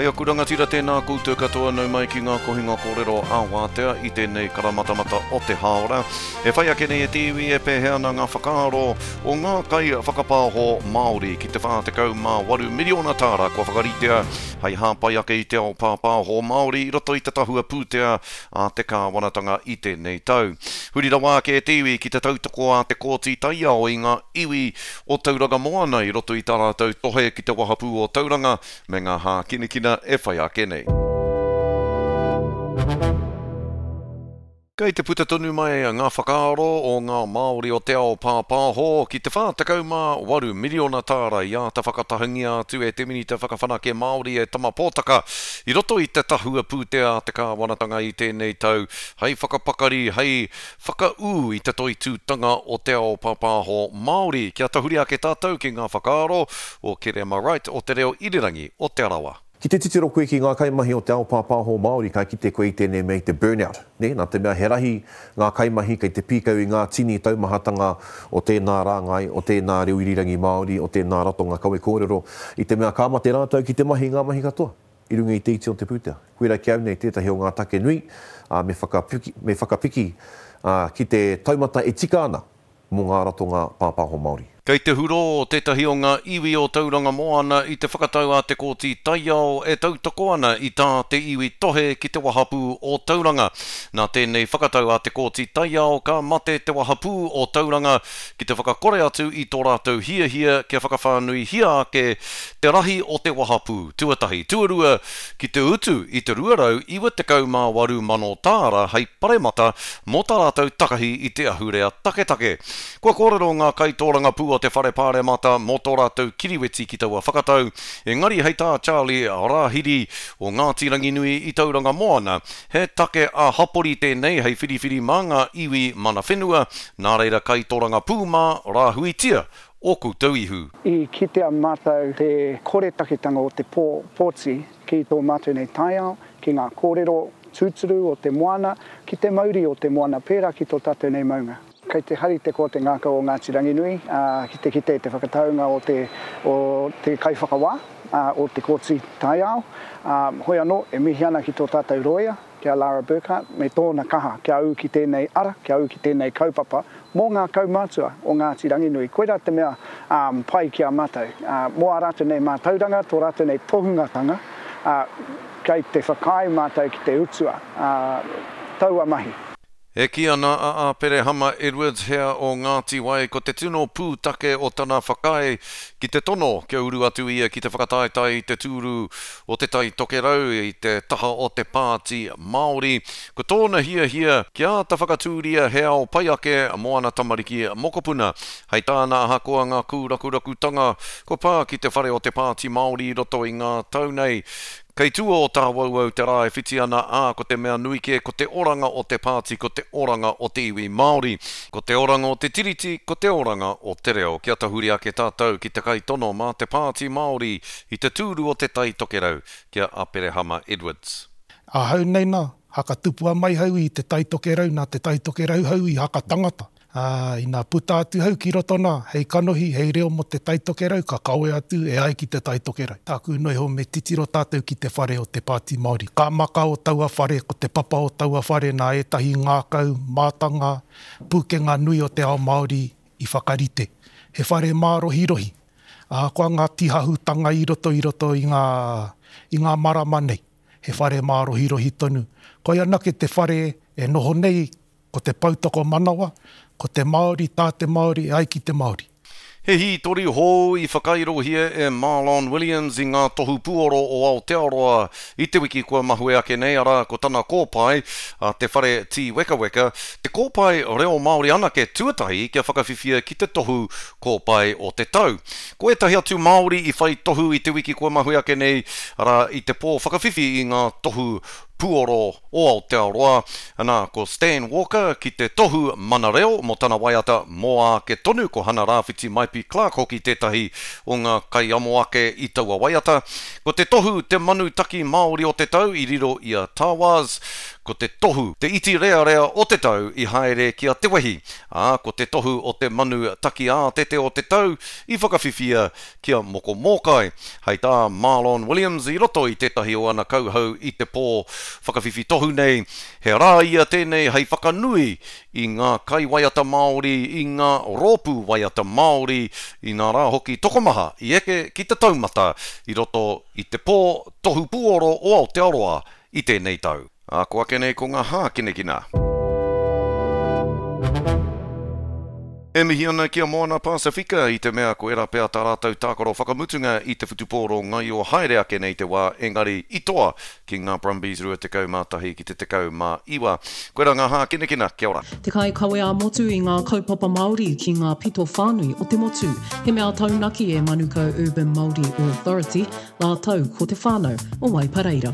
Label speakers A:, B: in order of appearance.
A: E aku rangatira tēnā koutou katoa nau mai ki ngā kohinga kōrero ā-wātea i tēnei karamatamata o te hāora. E whai ake nei e te iwi e pēhea ana ngā whakaaro o ngā kaiwhakapāho Māori ki te 48 miriona tāra kua whakaritea hei hāpai ake i te ao pāpāho Māori i roto i te tahua pūtea a te kāwanatanga i tēnei tau. Huri rawa ake e te iwi ki te tautoko a te Kōti Taiao i ngā iwi o Tauranga Moana i roto i tā rātou tohe ki te wahapū o Tauranga me ngā hākinakina e whai ake nei. Kei te puta tonu mai ngā whakaaro o ngā Māori o te ao pāpāho ki te 48 miriona tāra i āta whakatahangia atu e te Minita Whakawhanake Māori e Tama Potaka i roto i te tahua pūtea a te kāwanatanga i tēnei tau hei whakapakari, hei whakaū i te toitūtanga o te ao pāpāho Māori. Kia tahuri ake tātou ki ngā whakaaro o Kerema Wright o Te Reo Irirangi o Te Arawa.
B: Ki te titiro koe ki ngā kaimahi o te ao pāpāho Māori ka kite koe i tēnei mea i te burnout, nē, nā te mea he rahi ngā kaimahi kei te pīkau i ngā tini taumahatanga o tēnā rāngai, o tēnā reo irirangi Māori, o tēnā ratonga kawe kōrero, i te mea ka mate rātou ki te mahi i ngā mahi katoa i runga i te iti o te pūtea. Koirā ki au nei tētahi o ngā take nui, ā, me whakapiki, me whakapiki, ā, ki te taumata e tika ana mō ngā ratonga pāpāho Māori.
A: Kei te hurō tētahi o ngā iwi o Tauranga Moana i te whakatau a te Kōti Taiao e tautoko ana i tā te iwi tohe ki te wahapū o Tauranga. Nā tēnei whakatau a te Kōti Taiao ka mate te wahapū o Tauranga ki te whakakore atu i tō rātou hiahia kia whakawhānuihia ake te rahi o te wahapū, tuatahi, tuarua, ki te utu i te 298 mano tāra hei paremata mō tā rātou takahi i te ahurea taketake. Kua kōrero ngā kaitōrangapū o te Whare Pāremata mō tō rātou kiriweti ki taua whakatau, engari hei tā Charlie Rāhiri o Ngāti Ranginui i Tauranga Moana, he take ā-hapori tēnei hei whiriwhiri mā ngā iwi mana whenua, nā reira kaitōrangapū mā, rāhuitia ō koutou ihu.
C: I kitea mātou te koretaketanga o te pō, pōti ki tō mātou nei taiao, ki ngā kōrero tūturu o te moana, ki te mauri o te moana pērā ki tō tātou nei maunga. Kei te hari te koa te ngākau o Ngāti Ranginui ki te kite i te whakataunga o te, o te kaiwhakawā, o te Kōti Taiao. Hoi anō, e mihi ana ki tō tātou rōia, ki a Lara Burkhart, me tōna kaha kia ū ki tēnei ara, kia ū ki tēnei kaupapa mō ngā kaumātua o Ngāti Ranginui. Koirā te mea pai ki a mātou. Mō ā rātou nei mātauranga, tō rātou nei tohungatanga, kei te whakaae mātou ki te utua taua mahi.
A: E kī ana a Aperehama Edwards hea o Ngāti Wai ko te tino pūtake o tana whakaae ki te tono kia uru atu ia ki te whakataetae i te tūru o Te Tai Tokerau i te taha o te Pāti Māori. Ko tōna hiahia kia āta whakatūria he ao pai ake mō ana tamariki mokopuna. Hei tāna ahakoa ngā kūrakurakutanga kua pā ki te whare o te Pāti Māori i roto i ngā tau nei, Kei tua o Tāwauwau te rā e whiti ana, ā, ko te mea nui kē ko te oranga o te pāti, ko te oranga o te iwi Māori. Ko te oranga o te Tiriti, ko te oranga o te reo. Kia tahuri ake tātou ki te kaitono mā te Pāti Māori i te tūru o Te Tai Tokerau, ki a Aperehama Edwards.
D: Ahau nei na, haka tupua mai hau i Te Tai Tokerau, na Te Tai Tokerau hau i haka tangata. Ā, ina puta atu hau ki roto nā, hei kanohi, hei reo mō Te Tai Tokerau, ka kawea atu e ai ki Te Tai Tokerau. Tāku noa iho me titiro tātou ki te whare o Te Pāti Māori. Ka maka o taua whare, ko te papa o taua whare nā ētahi ngākau, mātanga, pūkenga nui o te ao Māori i whakarite. He whare mārohirohi, ahakoa ngā tīhahutanga i roto i roto i ngā, i ngā marama nei, he whare mārohirohi tonu. Koia anake te whare e noho nei Ko te poutokomanawa, ko te Māori, tā te Māori, e ai ki te Māori.
A: He hītori hou i whakairohia e Marlon Williams i ngā tohu puoro o Aotearoa i te wiki kua mahue ake nei, arā, ko tana kōpae, a Te Whare Tīwekaweka, te kōpae reo Māori anake tuatahi kia whakawhiwhia ki te tohu kōpae o te tau. Ko ētahi atu Māori i whai tohu i te wiki kua mahue ake nei, arā, i te pō whakawhiwhi i ngā tohu puoro o Aotearoa, ana, ko Stan Walker ki te tohu Mana Reo mō tana waiata Mō Āke Tonu, ko Hana Rāwhiti Maipi Clarke hoki tētahi o ngā kaiamo ake i taua waiata. Ko te tohu Te Manu Taki Māori o te Tau i riro i a Tawaz. Ko te tohu, te iti rearea o te tau i haere ki a Te Wehi, ā, ko te tohu o te manu taki ātete o te tau i whakawhiwhia ki a Moko Mōkai. Hei tā Marlon Williams i roto i tētahi o ana kauhau i te pō whakawhiwhi tohu nei, he rā ia tēnei hei whakanui i ngā kaiwaiata Māori, i ngā rōpū waiata Māori, inā rā hoki tokomaha i eke ki te taumata i roto i te pō tohu puoro o Aotearoa i tēnei tau. Ā, ko ake nei ko ngā hākinakina. E mihi ana ki a Moana Pasifika i te mea koirā pea tā rātou tākaro whakamutunga i te whutupōro ngaio haere ake nei te wā engari i toa ki ngā Brumbies 21 ki te 19. Koirā ngā hākinakina, kia ora.
E: Te kaikawe ā-motu i ngā kaupapa Māori ki ngā pito whānui o te motu. He mea taunaki e Manukau Urban Māori Authority rātou ko te whānau o Waipareira.